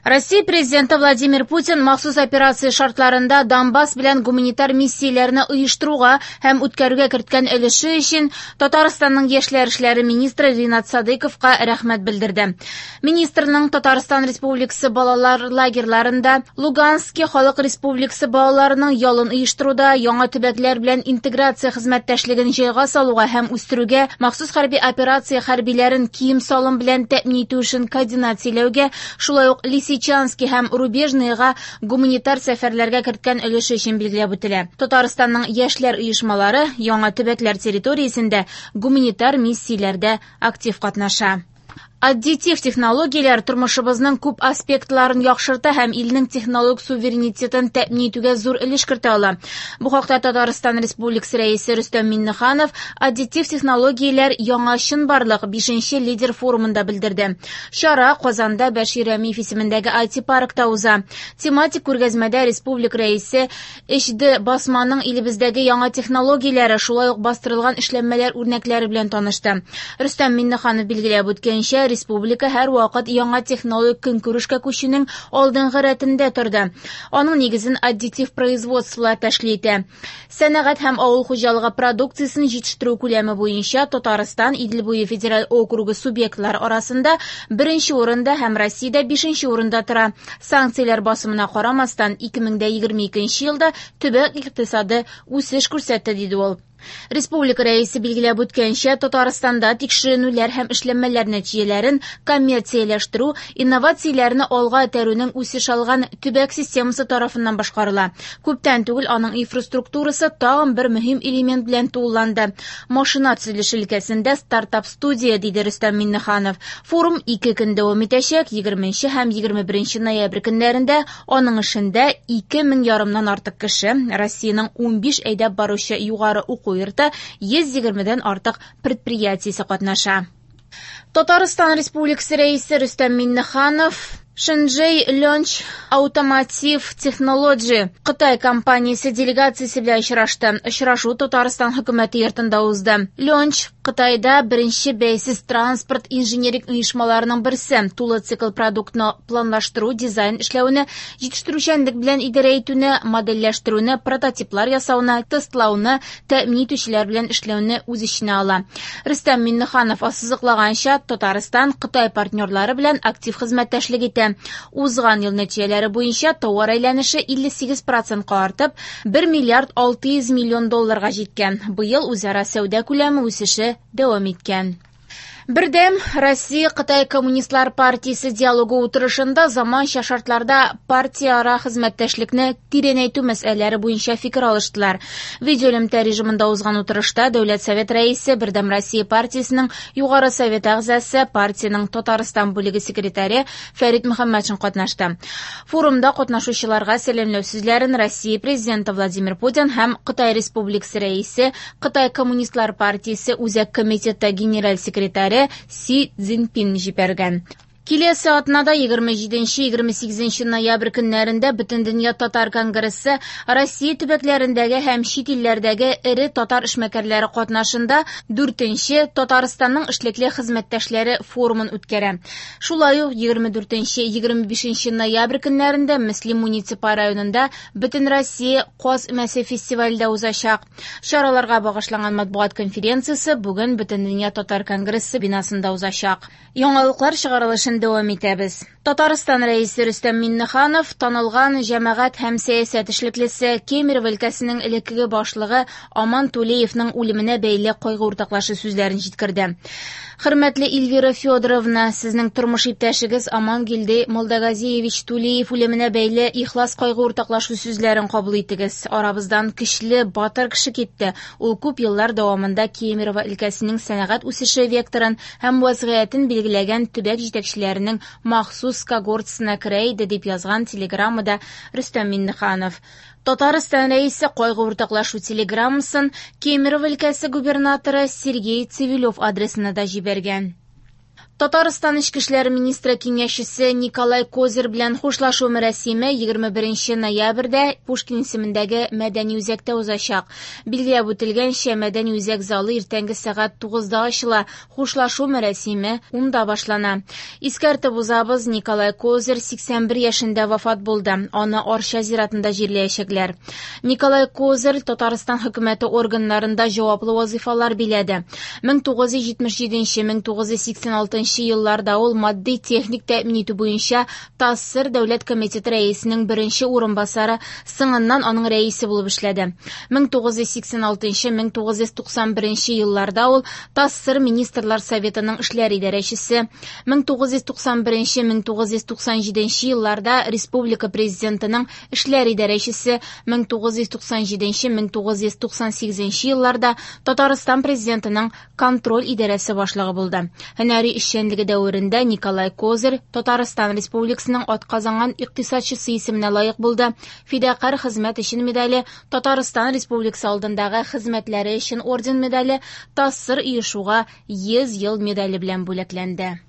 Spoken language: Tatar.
Россия Президенты Владимир Путин махсус операция шартларында Донбасс белән гуманитар миссияләрне оештыруга һәм үткәрүгә керткән өлеше өчен Татарстанның яшьләр эшләре министры Ринат Садыйковка рәхмәт белдерде. Министрның Татарстан Республикасы балалар лагерьларында, Лугански Халык Республикасы балаларының ялын оештыруда, яңа төбәкләр белән интеграция хезмәттәшлеген җайга салуга һәм үстерүгә, махсус хәрби операция хәрбиләрен кием-салым белән тәэмин итү эшен координацияләүгә, шулай ук Лисичански һәм Рубежныйга гуманитар сәфәрләргә керткән өлеше өчен билгеләп үтелә. Татарстанның яшьләр оешмалары яңа төбәкләр территориясендә гуманитар миссияләрдә актив катнаша. Аддитив технологияләр тормышыбызның күп аспектларын яхшырта һәм илнең технологик суверенитетын тәэмин итүгә зур өлеш кертә ала. Бу хакта Татарстан Республикасы Рәисе Рөстәм Миңнеханов аддитив технологияләр яңа чынбарлык 5нче лидер форумында белдерде. Чара Казанда Бәшир Рәмиев исемендәге IT-паркта уза. Тематик күргәзмәдә республика рәисе 3D басманың илебездәге яңа технологияләре, шулай ук бастырылган эшләнмәләр үрнәкләре белән танышты. Рөстәм Миңнеханов билгеләп үткәнчә, республика һәрвакыт яңа технологик көнкүрешкә күчүнең алдынгы рәтендә торды. Аның нигезен аддитив производстволар тәшкил итә. Сәнәгать һәм авыл хуҗалыгы продукциясен җитештерү күләме буенча Татарстан Идел буе федераль округы субъектлары арасында беренче урында һәм Россиядә бишенче урында тора. Санкцияләр басымына карамастан, 2022 елда төбәк икътисады үсеш күрсәтте, диде ул. Республика рәисе билгеләп үткәнчә, Татарстанда тикшеренүләр һәм эшләнмәләр нәтиҗәләрен коммерцияләштерү, инновацияләрне алга этәрүнең үсеш алган төбәк системасы тарафыннан башкарыла. Күптән түгел аның инфраструктурасы тагын бер мөһим элемент белән тулыланды. Машина төзелеше өлкәсендә стартап-студия, диде Рөстәм Миңнеханов. Форум 2 көн дәвам итәчәк, 20 һәм 21 ноябрь көннәрендә аның эшендә 2500 артык кеше, Россиянең 15 әйдәп баручы югары уку йорты, 120-дән артык предприятиесе катнаша. Татарстан Республикасы Рәисе Рөстәм Миңнеханов Шэньчжэнь Launch Automotive Technology Кытай компаниясе делегациясе белән очрашты. Очрашу Татарстан хөкүмәте йортында узды. Launch Кытайда беренче бәйсез транспорт инженерик оешмаларының берсе. Тулы цикл продуктны планлаштыру, дизайн эшләүне, җитештерүчәнлек белән идарә итүне, модельләштерүне, прототиплар ясауны, тестлауны, тәэмин итүчеләр белән эшләүне үз эченә ала. Рөстәм Миңнеханов ассызыклаганча, Татарстан Кытай партнерлары белән актив хезмәттәшлек итә. Узган ел нәтиҗәләре буенча товар әйләнеше 58%-ка артып, 1 миллиард 600 миллион долларга җиткән. Быел үзара сәүдә күләме үсеше дәвам иткән. Бердәм Россия Кытай Коммунистлар партиясе диалогы утырышында заманча шартларда партияара хезмәттәшлекне тирәнәйтү мәсьәләләре буенча фикер алыштылар. Видеоэлемтә режимында узган утырышта Дәүләт Совет рәисе, Бердәм Россия партиясенең Югары Совет әгъзасы, партиянең Татарстан бүлеге секретаре Фәрит Мөхәммәтшин катнашты. Форумда катнашучыларга сәламләү сүзләрен Россия президенты Владимир Путин һәм Кытай Республикасы рәисе, Кытай Коммунистлар партиясе Үзәк комитеты генераль секретаре Си Цзиньпин җибәргән. Киләсе атнада 27-28 ноябрь көннәрендә Бөтендөнья татар конгрессы Россия төбәкләрендәге һәм чит илләрдәге эре татар эшмәкәрләре катнашында 4нче Татарстанның эшлекле хезмәттәшләре форумын үткәрә. Шулай ук 24-25 ноябрь көннәрендә Мөслим муниципаль районында Бөтенроссия Каз өмәсе фестивале дә узачак. Чараларга багышланган матбугат конференциясе бүген Бөтендөнья татар конгрессы бинасында узачак. Яңалыклар чыгарылышын дәвам итәбез. Татарстан рәисе Рөстәм Миңнеханов танылган җәмәгать һәм сәясәт эшлеклесе Кемерово өлкәсенең элеккеге башлыгы Аман Тулеевның үлеменә бәйле кайгы уртаклашу сүзләрен җиткерде. Хөрмәтле Эльвира Федоровна, сезнең тормыш иптәшегез Амангилде Молдагазиевич Тулеев үлеменә бәйле ихлас кайгы уртаклашу сүзләрен кабул итегез. Арабыздан көчле, батыр кеше китте. Ул күп еллар дәвамында Кемерово өлкәсенең сәнәгать үсеше векторын һәм вазгыятен билгеләгән төбәк җитәкчеләренең махсус когортасына керә иде, дип язган телеграммада Рөстәм Миңнеханов. Татарстан рәисе кайгы уртаклашу телеграммасын Кемерово өлкәсе губернаторы Сергей Цивилев адресына да җибәргән. Татарстан Эчке эшләр министры киңәшчесе Николай Козырь белән хушлашу мәрасиме 21 ноябрьдә Пушкин исемендәге мәдәни үзәктә узачак. Билгеләп үтелгәнчә, мәдәни үзәк залы иртәнге сәгать 9-да ачыла, хушлашу мәрасиме 10-да башлана. Искәртеп узабыз, Николай Козырь 81 яшендә вафат булды. Аны Арча зиратында җирләячәкләр. Николай Козырь Татарстан хөкүмәте органнарында җаваплы вазифалар биләде. 1977-1986 елларда ул матди-техник тәэмин итү буенча ТАССР дәүләт комитеты рәисенең беренче урынбасары, соңыннан аның рәисе булып эшләде. 1986-1991 елларда ул ТАССР Министрлар Советының эшләр идарәчесе. 1991-1997 елларда Республика Президентының эшләр идарәчесе, 1997-1998 елларда Татарстан Президентының контроль идарәсе башлыгы булды. Һөнәри эшчәнлеге дәверендә Николай Козырь Татарстан Республикасының атказанган икътисадчысы исеменә лаек булды. Фидакарь хезмәт өчен медале, Татарстан Республикасы алдындагы хезмәтләре өчен орден медале, ТАССР оешуга 100 ел медале белән бүләкләнде.